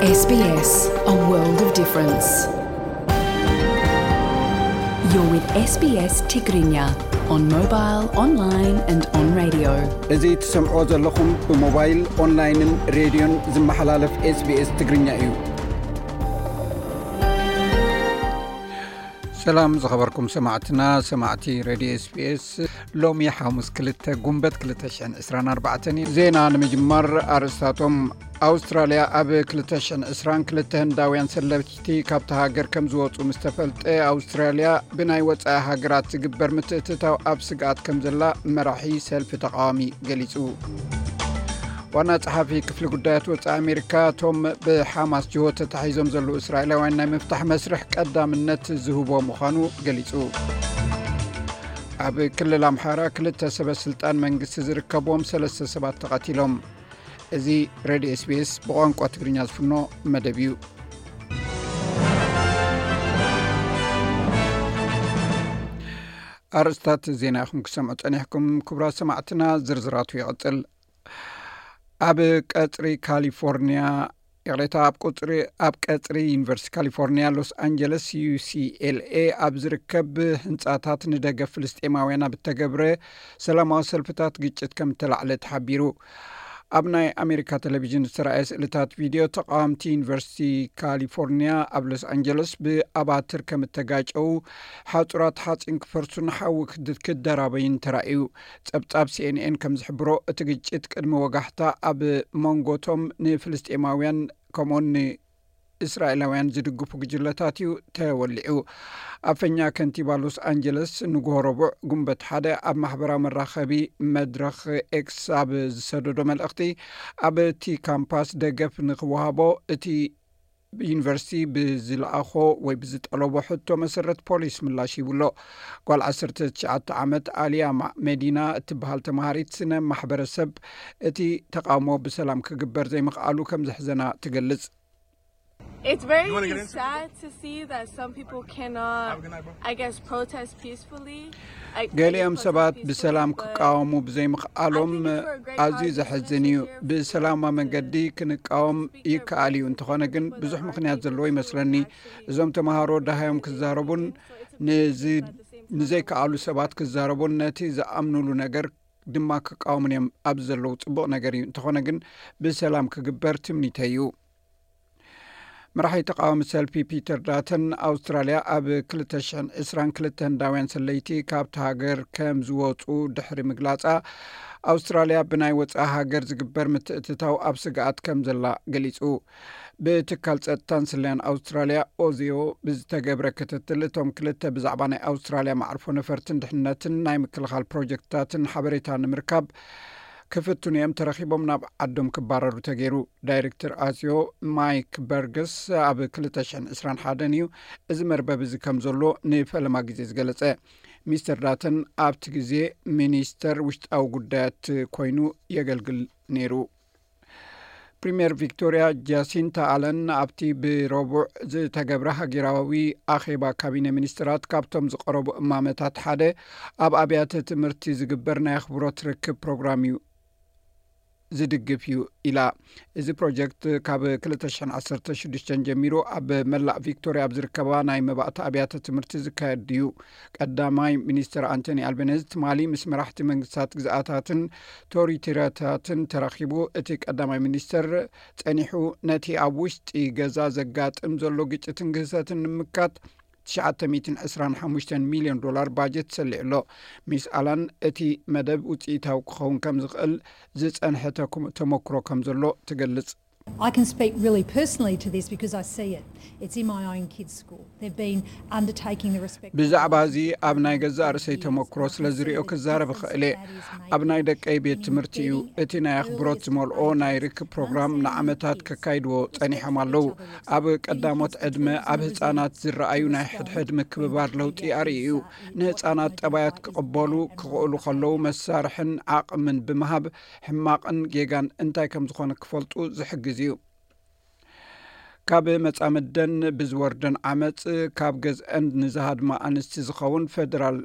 S B S, a world of difference. You're with S B S Tigrinya on mobile, online and on radio. እዚ ትሰምዖ ዘለኹም ብሞባይል፣ ኦንላይንን ሬድዮን ዝመሓላለፍ S B S ትግርኛ እዩ። ሰላም ዝኸበርኩም ሰማዕትና፣ ሰማዕቲ ሬድዮ S B S። ሎሚ ሓሙስ ክልተ ጉንበት ክልተ ሽሕን ዕስራን ኣርባዕተን እዩ። ዜና ንምጅማር ኣርእስታቶም። ኣውስትራልያ ኣብ ክልተ ሽሕን ዕስራን ክልተ ህንዳውያን ሰለፍቲ ካብታ ሃገር ከም ዝወጹ ምስ ተፈልጠ፣ ኣውስትራልያ ብናይ ወጻኢ ሃገራት ዝግበር ምትእትታው ኣብ ስግኣት ከም ዘላ መራሒ ሰልፊ ተቃዋሚ ገሊጹ። ዋና ጸሓፊ ክፍሊ ጉዳያት ወጻኢ ኣሜሪካ፣ እቶም ብሓማስ ጅሆ ተታሒዞም ዘለዉ እስራኤላውያን ናይ ምፍታሕ መስርሕ ቀዳምነት ዝህቦ ምዃኑ ገሊጹ። ኣብ ክልል ኣምሓራ ክልተ ሰበ ስልጣን መንግስቲ ዝርከብዎም ሰለስተ ሰባት ተቐቲሎም። እዚ ሬድዮ S B S ብቋንቋ ትግርኛ ዝፍኖ መደብ እዩ። ኣርእስታት ዜና ኢኹም ክሰምዑ ጸኒሕኩም። ክቡራት ሰማዕትና፣ ዝርዝራቱ ይቕጽል። ኣብ ቀጽሪ ካሊፎርኒያ፣ ይቕሬታ፣ ኣብ ቁጽሪ፣ ኣብ ቀጽሪ ዩኒቨርሲቲ ካሊፎርኒያ ሎስ ኣንጀለስ፣ U C L A፣ ኣብ ዝርከብ ህንጻታት ንደገፍ ፍልስጤማውያን ኣብ እተገብረ ሰላማዊ ሰልፍታት ግጭት ከም እተላዕለ ተሓቢሩ። ኣብ ናይ ኣሜሪካ ቴሌቪዥን ዝተራእየ ስእልታት ቪድዮ፣ ተቓወምቲ ዩኒቨርሲቲ ካሊፎርኒያ ኣብ ሎስ ኣንጀለስ ብኣባትር ከም እተጋጨው፣ ሓጹራት ሓጺን ክፈርሱን ሓዊ ክድ-፣ ክደራበይን ተራእዩ። ጸብጻብ C N N ከም ዝሕብሮ፣ እቲ ግጭት ቅድሚ ወጋሕታ ኣብ መንጎቶም ንፍልስጤማውያን ከምኡውን ንእስራኤላውያን ዝድግፉ ጉጅለታት እዩ ተወሊዑ። ኣፈኛ ከንቲባ ሎስ ኣንጀለስ ንግሆ ረቡዕ ጉንበት ሓደ ኣብ ማሕበራዊ መራኸቢ መድረኽ ኤክስ ኣብ ዝሰደዶ መልእኽቲ፣ ኣብቲ ካምፓስ ደገፍ ንክወሃቦ እቲ ዩኒቨርሲቲ ብዝለኣኾ ወይ ብዝጠለቦ ሕቶ መሰረት ፖሊስ ምላሽ ሂቡ ኣሎ። ጓል ዓሰርተ ትሽዓተ ዓመት ኣሊያ ማ-፣ መዲና እትበሃል ተምሃሪት ስነ ማሕበረሰብ፣ እቲ ተቃውሞ ብሰላም ክግበር ዘይምኽኣሉ ከም ዘሕዘና ትገልጽ። It's very sad to see that some people cannot, I guess, protest peacefully. ገሊኦም ሰባት ብሰላም ክቃወሙ ብዘይምኽኣሎም ኣዝዩ ዘሕዝን እዩ። ብሰላማዊ መንገዲ ክንቃወም ይከኣል እዩ፣ እንተኾነ ግን ብዙሕ ምኽንያት ዘለዎ ይመስለኒ። እዞም ተምሃሮ ደሃዮም ክዛረቡን ንዚ-፣ ንዘይከኣሉ ሰባት ክዛረቡን ነቲ ዝኣምኑሉ ነገር ድማ ክቃወሙን እዮም። ኣብዚ ዘለዉ ጽቡቕ ነገር እዩ፣ እንተኾነ ግን ብሰላም ክግበር ትምኒተይ እዩ። መራሒ ተቃዋሚ ሰልፊ ፒተር ዳተን፣ ኣውስትራልያ ኣብ ክልተ ሽሕን ዕስራን ክልተ ህንዳውያን ሰለይቲ ካብቲ ሃገር ከም ዝወጹ ድሕሪ ምግላጻ፣ ኣውስትራልያ ብናይ ወጻኢ ሃገር ዝግበር ምትእትታው ኣብ ስግኣት ከም ዘላ ገሊጹ። ብትካል ጸጥታን ስለያን ኣውስትራልያ፣ ኦዚዮ፣ ብዝተገብረ ክትትል፣ እቶም ክልተ ብዛዕባ ናይ ኣውስትራልያ መዓርፎ ነፈርትን ድሕነትን ናይ ምክልኻል ፕሮጀክትታትን ሓበሬታ ንምርካብ ክፍትኑ እዮም ተረኺቦም ናብ ዓዶም ክባረሩ ተገይሩ። ዳይሬክተር ኣዝዮ ማይክ በርግስ ኣብ ክልተ ሽሕን ዕስራን ሓደን እዩ እዚ መርበብ እዚ ከም ዘሎ ንፈለማ ግዜ ዝገለጸ። ሚስተር ዳተን ኣብቲ ግዜ ሚኒስተር ውሽጣዊ ጉዳያት ኮይኑ የገልግል ነይሩ። ፕሪምየር ቪክቶሪያ ጃሲንታ ኣለን ኣብቲ ብረቡዕ ዝተገብረ ሃገራዊ ኣኼባ ካቢነ ሚኒስትራት፣ ካብቶም ዝቐረቡ እማመታት ሓደ ኣብ ኣብያተ ትምህርቲ ዝግበር ናይ ኣኽብሮት ርክብ ፕሮግራም እዩ፣ ዝድግፍ እዩ ኢላ። እዚ ፕሮጀክት ካብ ክልተ ሽሕን ዓሰርተ ሽዱሽተን ጀሚሩ ኣብ መላእ ቪክቶሪያ ኣብ ዝርከባ ናይ መባእቲ ኣብያተ ትምህርቲ ዝካየድ እዩ። ቀዳማይ ሚኒስትር ኣንቶኒ ኣልበነዝ ትማሊ ምስ መራሕቲ መንግስታት ግዝኣታትን ቶሪቶሪያታትን ተራኺቡ። እቲ ቀዳማይ ሚኒስትር ጸኒሑ፣ ነቲ ኣብ ውሽጢ ገዛ ዘጋጥም ዘሎ ግጭትን ግህሰትን ንምምካት ትሽዓተ ሚእትን ዕስራን ሓሙሽተን ሚልዮን ዶላር ባጀት ሰሊዑ ኣሎ። ሚስ ኣላን፣ እቲ መደብ ውጽኢታዊ ክኸውን ከም ዝኽእል ዝጸንሐ ተኩ-፣ ተመክሮ ከም ዘሎ ትገልጽ። I can speak really personally to this because I see it. It's in my own kids' school. They've been undertaking the respect ብዛዕባ እዚ ኣብ ናይ ገዛእ ርእሰይ ተመክሮ ስለ ዝርእዮ ክዛረብ እኽእል እየ። ኣብ ናይ ደቀይ ቤት ትምህርቲ እዩ። እቲ ናይ ኣኽብሮት ዝመልኦ ናይ ርክብ ፕሮግራም ንዓመታት ከካይድዎ ጸኒሖም ኣለዉ። ኣብ ቀዳሞት ዕድመ ኣብ ህጻናት ዝረኣዩ ናይ ሕድሕድ ምክብባር ለውጢ ኣርእዩ እዩ። ንህጻናት ጠባያት ክቕበሉ ክኽእሉ ከለዉ መሳርሕን ዓቕምን ብምሃብ ሕማቕን ጌጋን እንታይ ከም ዝኾነ ክፈልጡ ዝሕግዝ እዩ። ካብ መጻምደን ብዝወርደን ዓመጽ፣ ካብ ገዝአን ንዝሃድማ ኣንስቲ ዝኸውን ፌደራል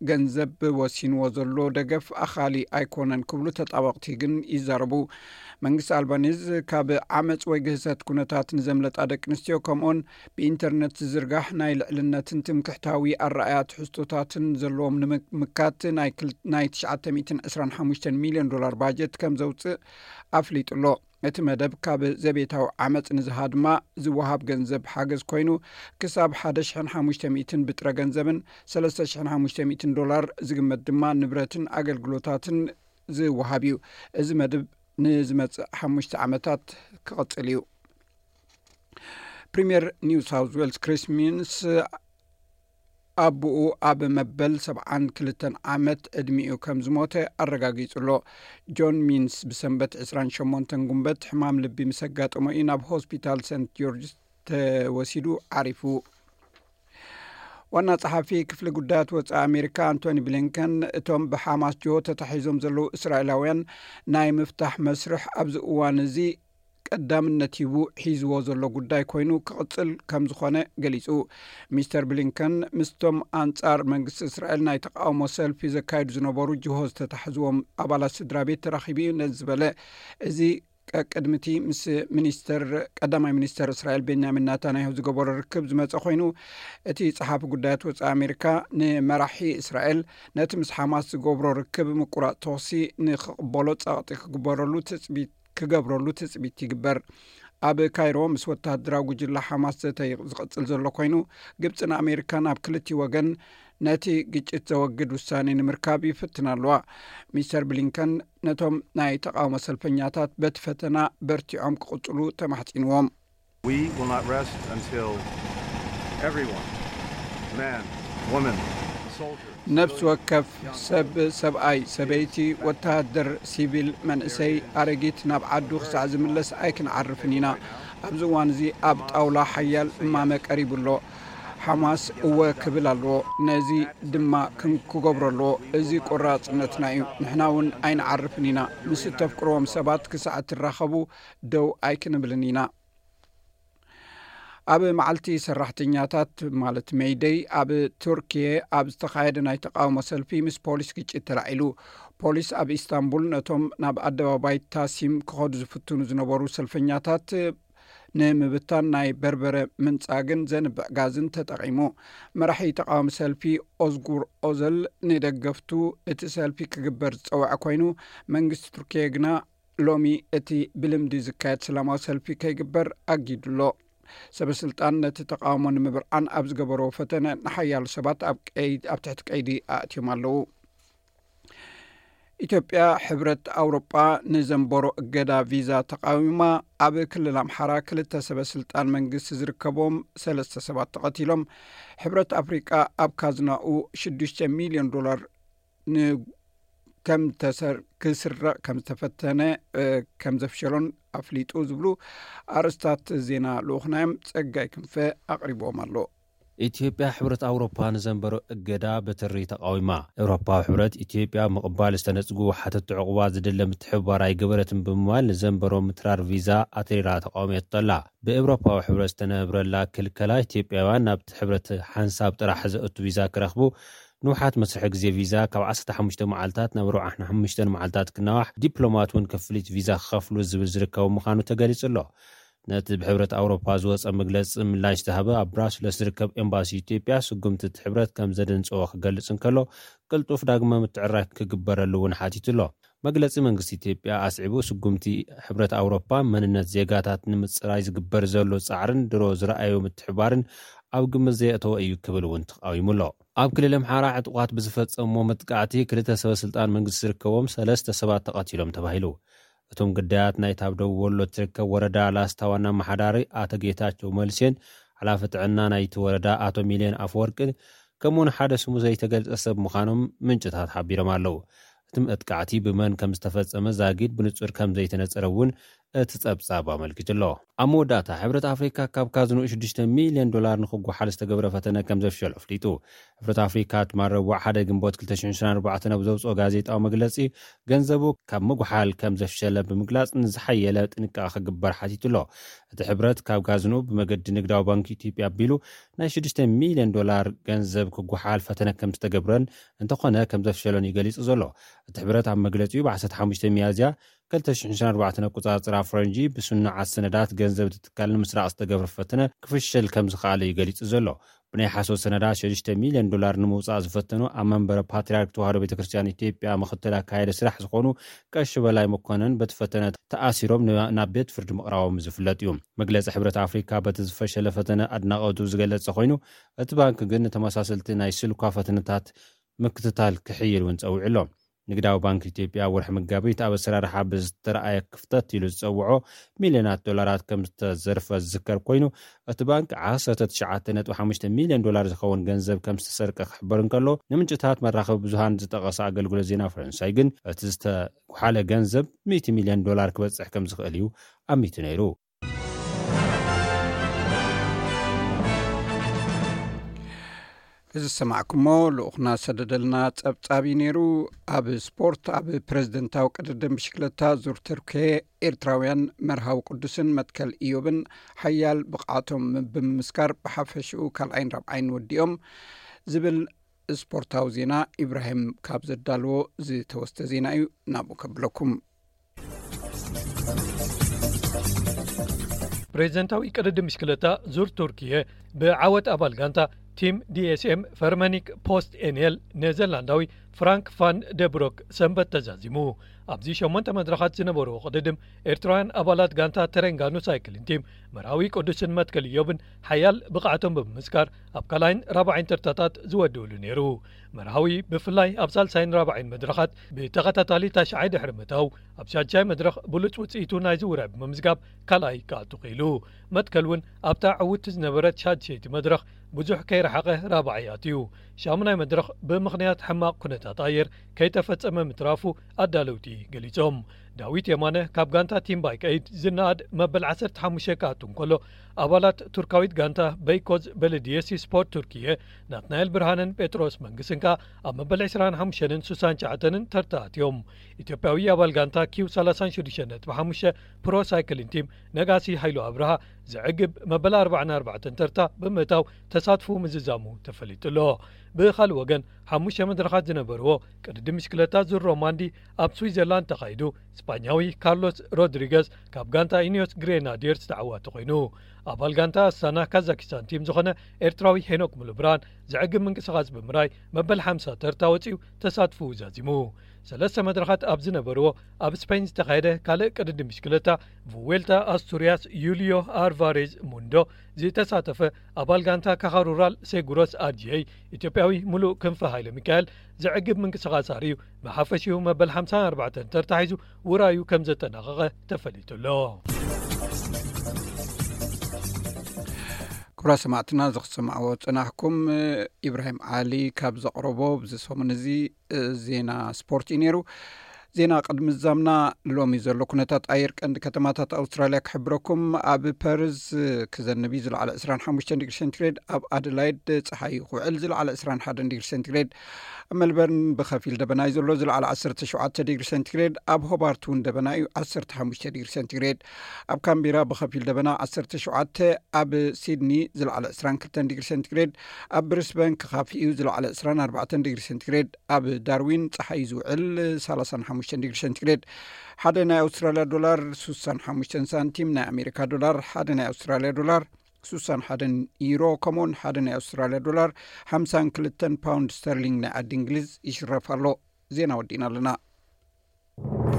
ገንዘብ ወሲንዎ ዘሎ ደገፍ ኣኻሊ ኣይኮነን ክብሉ ተጣበቕቲ ግን ይዛረቡ። መንግስቲ ኣልባኒዝ ካብ ዓመፅ ወይ ግህሰት ኩነታት ንዘምለጣ ደቂ ኣንስትዮ፣ ከምኡን ብኢንተርነት ዝዝርጋሕ ናይ ልዕልነትን ትምክሕታዊ ኣረኣያ ትሕዝቶታትን ዘለዎም ንምምካት ናይ ክል- ናይ ትሽዓተ ሚእትን ዕስራን ሓሙሽተን ሚልዮን ዶላር ባጀት ከም ዘውፅእ ኣፍሊጡ ኣሎ። እቲ መደብ ካብ ዘቤታዊ ዓመፅ ንዝሃድማ ዝወሃብ ገንዘብ ሓገዝ ኮይኑ፣ ክሳብ ሓደ ሽሕን ሓሙሽተ ሚእትን ብጥረ ገንዘብን ሰለስተ ሽሕን ሓሙሽተ ሚእትን ዶላር ዝግመት ድማ ንብረትን ኣገልግሎታትን ዝወሃብ እዩ። እዚ መደብ ንዝመጽእ ሓሙሽተ ዓመታት ክቕጽል እዩ። ፕሪምየር ኒው ሳውዝ ዌልስ ክሪስ ሚንስ ኣቦኡ ኣብ መበል ሰብዓን ክልተን ዓመት ዕድሚኡ ከም ዝሞተ ኣረጋጊጹ ኣሎ። ጆን ሚንስ ብሰንበት ዕስራን ሸሞንተን ጉንበት ሕማም ልቢ ምስ ኣጋጠሞ እዩ ናብ ሆስፒታል ሰንት ጆርጅ ተወሲዱ ዓሪፉ። ዋና ጸሓፊ ክፍሊ ጉዳያት ወጻኢ ኣሜሪካ ኣንቶኒ ብሊንከን፣ እቶም ብሓማስ ጅሆ ተታሒዞም ዘለዉ እስራኤላውያን ናይ ምፍታሕ መስርሕ ኣብዚ እዋን እዚ ቀዳምነት ሂቡ ሒዝዎ ዘሎ ጉዳይ ኮይኑ ክቕጽል ከም ዝኾነ ገሊጹ። ሚስተር ብሊንከን ምስቶም ኣንጻር መንግስቲ እስራኤል ናይ ተቃውሞ ሰልፊ ዘካይዱ ዝነበሩ ጅሆ ዝተታሕዝዎም ኣባላት ስድራ ቤት ተራኺቡ እዩ ነዚ ዝበለ። እዚ ቀቅድሚቲ ምስ ሚኒስተር ቀዳማይ ሚኒስተር እስራኤል ቤንያሚን ናታንያሁ ዝገበሮ ርክብ ዝመጸ ኮይኑ፣ እቲ ጸሓፊ ጉዳያት ወጻኢ ኣሜሪካ ንመራሒ እስራኤል ነቲ ምስ ሓማስ ዝገብሮ ርክብ ምቁራጽ ተኹሲ ንክቕበሎ ጸቕጢ ክግበረሉ ትጽቢት ክገብረሉ ትጽቢት ይግበር። ኣብ ካይሮ ምስ ወተሃደራዊ ጉጅላ ሓማስ ዘተ ዝቐጽል ዘሎ ኮይኑ፣ ግብጽን ኣሜሪካን ኣብ ክልቲ ወገን ነቲ ግጭት ዘወግድ ውሳኔ ንምርካብ ይፍትና ኣለዋ። ሚስተር ብሊንከን ነቶም ናይ ተቃውሞ ሰልፈኛታት በቲ ፈተና በርቲዖም ክቕጽሉ ተማሕጺንዎም። We will not rest until everyone, man, woman, soldier, ነፍሲ ወከፍ ሰብ፣ ሰብኣይ፣ ሰበይቲ፣ ወተሃደር፣ ሲቪል፣ መንእሰይ፣ ኣረጊት ናብ ዓዱ ክሳዕ ዝምለስ ኣይክንዓርፍን ኢና። ኣብዚ እዋን እዚ ኣብ ጣውላ ሓያል እማመ ቀሪቡ ኣሎ። ሓማስ እወ ክብል ኣለዎ፣ ነዚ ድማ ክን- ክገብሮ ኣለዎ። እዚ ቆራጽነትና እዩ። ንሕና እውን ኣይንዓርፍን ኢና። ምስ እተፍቅርዎም ሰባት ክሳዕ እትራኸቡ ደው ኣይክንብልን ኢና። ኣብ መዓልቲ ሰራሕተኛታት ማለት ሜይደይ ኣብ ቱርኪየ ኣብ ዝተኻየደ ናይ ተቃውሞ ሰልፊ ምስ ፖሊስ ግጭት ተላዒሉ። ፖሊስ ኣብ ኢስታንቡል ነቶም ናብ ኣደባባይ ታሲም ክኸዱ ዝፍትኑ ዝነበሩ ሰልፈኛታት ንምብታን ናይ በርበረ ምንጻግን ዘንብዕ ጋዝን ተጠቒሙ። መራሒ ተቃዋሚ ሰልፊ ኦዝጉር ኦዘል ንደገፍቱ እቲ ሰልፊ ክግበር ዝጸውዐ ኮይኑ፣ መንግስቲ ቱርኪየ ግና ሎሚ እቲ ብልምዲ ዝካየድ ሰላማዊ ሰልፊ ከይግበር ኣጊዱ ኣሎ። ሰበ ስልጣን ነቲ ተቃውሞ ንምብርዓን ኣብ ዝገበርዎ ፈተነ ንሓያሎ ሰባት ኣብ ቀይድ- ኣብ ትሕቲ ቀይዲ ኣእትዮም ኣለዉ። ኢትዮጵያ ሕብረት ኣውሮጳ ንዘንበሮ እገዳ ቪዛ ተቃዊማ። ኣብ ክልል ኣምሓራ ክልተ ሰበ ስልጣን መንግስቲ ዝርከቦም ሰለስተ ሰባት ተቐቲሎም። ሕብረት ኣፍሪቃ ኣብ ካዝናኡ ሽዱሽተ ሚልዮን ዶላር ን- ከም ተሰር- ክስረቕ ከም ዝተፈተነ እ፣ ከም ዘፍሸሎን ኣፍሊጡ ዝብሉ ኣርእስታት ዜና ልኡኽናዮም ጸጋይ ክንፈ ኣቕሪብዎም ኣሎ። ኢትዮጵያ ሕብረት ኣውሮፓ ንዘንበሮ እገዳ ብትሪ ተቃዊማ። ኤውሮፓዊ ሕብረት ኢትዮጵያ ምቕባል ዝተነጽጉ ሓተቲ ዕቑባ ዝድለ ምትሕብባር ኣይገበረትን ብምባል ንዘንበሮ ምትራር ቪዛ ኣትሪራ ተቃውሜቶ ኣላ። ብኤውሮፓዊ ሕብረት ዝተነብረላ ክልከላ ኢትዮጵያውያን ናብቲ ሕብረት ሓንሳብ ጥራሕ ዘእቱ ቪዛ ክረኽቡ፣ ንውሓት መስርሒ ግዜ ቪዛ ካብ ዓሰርተ ሓሙሽተ መዓልታት ናብ ኣርባዓን ሓሙሽተን መዓልታት ክናዋሕ፣ ዲፕሎማት እውን ክፍሊት ቪዛ ክኸፍሉ ዝብል ዝርከቡ ምዃኑ ተገሊጹ ኣሎ። ነቲ ብሕብረት ኣውሮፓ ዝወጸ መግለጺ ምላሽ ዝሃበ ኣብ ብራስለስ ዝርከብ ኤምባሲ ኢትዮጵያ፣ ስጉምቲ እቲ ሕብረት ከም ዘደንጸዎ ክገልጽ እንከሎ፣ ቅልጡፍ ዳግመ ምትዕራይ ክግበረሉ እውን ሓቲቱ ኣሎ። መግለጺ መንግስቲ ኢትዮጵያ ኣስዒቡ፣ ስጉምቲ ሕብረት ኣውሮፓ መንነት ዜጋታት ንምጽራይ ዝግበር ዘሎ ጻዕርን ድሮ ዝረኣዮ ምትሕባርን ኣብ ግምት ዘየእተወ እዩ ክብል እውን ተቃዊሙ ኣሎ። ኣብ ክልል ኣምሓራ ዕጡቓት ብዝፈጸምዎ መጥቃዕቲ ክልተ ሰበ ስልጣን መንግስቲ ዝርከቦም ሰለስተ ሰባት ተቐቲሎም ተባሂሉ። እቶም ግዳያት ናይቲ ኣብ ደቡብ ወሎ እትርከብ ወረዳ ላስታ ዋና ኣመሓዳሪ ኣቶ ጌታቸው መልሴን ሓላፊ ጥዕና ናይቲ ወረዳ ኣቶ ሚልዮን ኣፈወርቅን ከምኡውን ሓደ ስሙ ዘይተገልጸ ሰብ ምዃኖም ምንጭታት ሓቢሮም ኣለዉ። እቲ መጥቃዕቲ ብመን ከም ዝተፈጸመ ዛጊድ ብንጹር ከም ዘይተነጸረ እውን እቲ ጸብጻብ ኣመልኪቱ ኣሎ። ኣብ መወዳእታ፣ ሕብረት ኣፍሪካ ካብ ካዝንኡ ሽዱሽተ ሚልዮን ዶላር ንክጓሓል ዝተገብረ ፈተነ ከም ዘፍሸሎ ኣፍሊጡ። ሕብረት ኣፍሪካ ትማል ረቡዕ ሓደ ግንቦት ክልተ ሽሕን ዕስራን ኣርባዕተን ኣብ ዘውፅኦ ጋዜጣዊ መግለፂ፣ ገንዘቡ ካብ ምጉሓል ከም ዘፍሸለ ብምግላፅ፣ ንዝሓየለ ጥንቃቐ ክግበር ሓቲቱ ኣሎ። እቲ ሕብረት ካብ ካዝንኡ ብመገዲ ንግዳዊ ባንክ ኢትዮጵያ ኣቢሉ ናይ ሽዱሽተ ሚልዮን ዶላር ገንዘብ ክጓሓል ፈተነ ከም ዝተገብረን፣ እንተኾነ ከም ዘፍሸሎን እዩ ገሊጹ ዘሎ። እቲ ሕብረት ኣብ መግለጺኡ፣ ብ ዓሰርተ ሓሙሽተ ሚያዝያ ክልተ ሽሕን ዕስራን ኣርባዕተን ኣቆጻጽራ ፈረንጂ፣ ብስኑዓት ሰነዳት ገንዘብ እቲ ትካል ንምስራቕ ዝተገብረ ፈተነ ክፍሸል ከም ዝኸኣለ እዩ ገሊጹ ዘሎ። ብናይ ሓሶት ሰነዳት ሽዱሽተ ሚልዮን ዶላር ንምውጻእ ዝፈተኑ ኣብ መንበረ ፓትርያርክ ተዋህዶ ቤተ ክርስቲያን ኢትዮጵያ ምኽትል ኣካያዲ ስራሕ ዝኾኑ ቀሺ በላይ መኮነን፣ በቲ ፈተነ ተኣሲሮም ን-፣ ናብ ቤት ፍርዲ ምቕራቦም ዝፍለጥ እዩ። መግለጺ ሕብረት ኣፍሪካ በቲ ዝፈሸለ ፈተነ ኣድናቖቱ ዝገለጸ ኮይኑ፣ እቲ ባንክ ግን ንተመሳሰልቲ ናይ ስልኳ ፈተነታት ምክትታል ክሕይል እውን ጸዊዑ ኣሎ። ንግዳዊ ባንክ ኢትዮጵያ ኣብ ወርሒ መጋቢት ኣብ ኣሰራርሓ ብዝተረኣየ ክፍተት ኢሉ ዝጸውዖ ሚልዮናት ዶላራት ከም ዝተዘርፈ ዝዝከር ኮይኑ፣ እቲ ባንክ ዓሰርተ ትሽዓተ ነጥቢ ሓሙሽተ ሚልዮን ዶላር ዝኸውን ገንዘብ ከም ዝተሰርቀ ክሕበር እንከሎ፣ ንምንጭታት መራኸቢ ብዙሃን ዝጠቐሰ ኣገልግሎት ዜና ፈረንሳይ ግን፣ እቲ ዝተጓሓለ ገንዘብ ሚእቲ ሚልዮን ዶላር ክበጽሕ ከም ዝኽእል እዩ ኣሚቱ ነይሩ። እዚ ዝሰማዕኩሞ ልኡኽና ሰደደልና ጸብጻብ እዩ ነይሩ። ኣብ ስፖርት፣ ኣብ ፕሬዝደንታዊ ቅድድም ብሽክለታ ዙር ቱርኪየ፣ ኤርትራውያን መርሃዊ ቅዱስን መትከል ኢዮብን ሓያል ብቕዓቶም ብምምስካር ብሓፈሽኡ ካልኣይን ራብዓይን ወዲኦም ዝብል ስፖርታዊ ዜና ኢብራሂም ካብ ዘዳልዎ ዝተወስደ ዜና እዩ። ናብኡ ከብለኩም። ፕሬዝደንታዊ ቅድድም ብሽክለታ ዙር ቱርኪየ ብዓወት ኣባል ጋንታ ቲም ዲ ኤስ ኤም ፈርመኒክ ፖስት ኤንኤል ኔዘርላንዳዊ ፍራንክ ፋን ደብሮክ ሰንበት ተዛዚሙ። ኣብዚ ሸሞንተ መድረኻት ዝነበርዎ ቅድድም፣ ኤርትራውያን ኣባላት ጋንታ ተረንጋኑ ሳይክሊን ቲም መርሃዊ ቅዱስን መትከል ኢዮብን ሓያል ብቕዓቶም ብምምስካር ኣብ ካልኣይን ራብዓይን ተርታታት ዝወድእሉ ነይሩ። መርሃዊ ብፍላይ ኣብ ሳልሳይን ራብዓይን መድረኻት ብተኸታታሊ ታሽዓይ ድሕሪ ምእታው፣ ኣብ ሻድሻይ መድረኽ ብሉጽ ውጽኢቱ ናይዚ ውራይ ብምምዝጋብ ካልኣይ ክኣቱ ክኢሉ። መትከል እውን ኣብታ ዕውትቲ ዝነበረት ሻድሸይቲ መድረኽ ብዙሕ ከይረሓቐ ራብዓይ ኣትዩ። ሻሙናይ መድረኽ ብምኽንያት ሕማቕ ኩነታት ኣየር ከይተፈጸመ ምትራፉ ኣዳለውቲ ገሊጾም። ዳዊት የማነ ካብ ጋንታ ቲም ባይክ ኤይድ ዝነኣድ መበል ዓሰርተ ሓሙሽተ ክኣቱ እንከሎ፣ ኣባላት ቱርካዊት ጋንታ በይኮዝ በለድየሲ ስፖርት ቱርኪየ ናትናኤል ብርሃንን ጴጥሮስ መንግስን ከኣ ኣብ መበል ዕስራን ሓሙሽተን ሱሳን ትሽዓተንን ተርታ ኣትዮም። ኢትዮጵያዊ ኣባል ጋንታ ኪው ሰላሳን ሽዱሽተን ነጥቢ ሓሙሽተ ፕሮ ሳይክሊን ቲም ነጋሲ ሃይሉ ኣብርሃ ዘዕግብ መበል ኣርባዓን ኣርባዕተን ተርታ ብምእታው ተሳትፉ ምዝዛሙ ተፈሊጡ ኣሎ። ብኻልእ ወገን፣ ሓሙሽተ መድረኻት ዝነበርዎ ቅድድም ብሽክለታ ዙር ሮማንዲ ኣብ ስዊዘርላንድ ተኻይዱ፣ ስፓኛዊ ካርሎስ ሮድሪገዝ ካብ ጋንታ ኢኒዮስ ግሬናዲየርስ ተዓዋቲ ኮይኑ፣ ኣባል ጋንታ ኣስታና ካዛኪስታን ቲም ዝኾነ ኤርትራዊ ሄኖክ ሙሉብርሃን ዘዕግብ ምንቅስቓስ ብምራይ መበል ሓምሳ ተርታ ወጺኡ ተሳትፉ ዛዚሙ። ሰለስተ መድረኻት ኣብ ዝነበርዎ ኣብ ስፔን ዝተኻየደ ካልእ ቅድድም ብሽክለታ ቭዌልታ ኣስቱርያስ ዩልዮ ኣልቫሬዝ ሙንዶ ዝተሳተፈ ኣባል ጋንታ ካኻ ሩራል ሴጉሮስ ኣድየይ ኢትዮጵያዊ ሙሉእ ክንፈ ሃይለ ሚካኤል ዘዕግብ ምንቅስቓስ ኣርእዩ ብሓፈሽኡ መበል ሓምሳን ኣርባዕተን ተርታ ሒዙ ውራዩ ከም ዘጠናቐቐ ተፈሊጡ ኣሎ። ክቡራት ሰማዕትና፣ እዚ ክትሰምዕዎ ዝጸናሕኩም ኢብራሂም ዓሊ ካብ ዘቕረቦ፣ ብዚ ሰሙን እዚ ዜና ስፖርት እዩ ነይሩ። ዜና ቅድሚ ዛምና ሎሚ ዘሎ ኩነታት ኣየር ቀንዲ ከተማታት ኣውስትራልያ ክሕብረኩም። ኣብ ፐርዝ ክዘንብ እዩ፣ ዝለዓለ ዕስራን ሓሙሽተን ዲግሪ ሴንቲግሬድ፣ ኣብ ኣደላይድ ጸሓይ እዩ ክውዕል፣ ዝለዓለ ዕስራን ሓደን ዲግሪ ሴንቲግሬድ፣ ኣብ ሜልበርን ብኸፊል ደበና እዩ ዘሎ፣ ዝለዓለ ዓሰርተ ሸውዓተ ዲግሪ ሴንቲግሬድ፣ ኣብ ሆባርት እውን ደበና እዩ፣ ዓሰርተ ሓሙሽተ ዲግሪ ሴንቲግሬድ፣ ኣብ ካምቢራ ብኸፊል ደበና ዓሰርተ ሸውዓተ፣ ኣብ ሲድኒ ዝለዓለ ዕስራን ክልተን ዲግሪ ሴንቲግሬድ፣ ኣብ ብሪስበን ክኻፊ እዩ፣ ዝለዓለ ዕስራን ኣርባዕተን ዲግሪ ሴንቲግሬድ፣ ኣብ ዳርዊን ጸሓይ ዝውዕል ሰላሳን ሓሙሽተን ዲግሪ ሴንቲግሬድ። ሓደ ናይ ኣውስትራልያ ዶላር ሱሳን ሓሙሽተን ሳንቲም፣ ናይ ኣሜሪካ ዶላር ሓደ ናይ ኣውስትራልያ ዶላር ሱሳን ሓደን ዩሮ፣ ከምኡውን ሓደ ናይ ኣውስትራልያ ዶላር ሓምሳን ክልተን ፓውንድ ስተርሊንግ ናይ ዓዲ እንግሊዝ ይሽረፍ ኣሎ። ዜና ወዲእና ኣለና።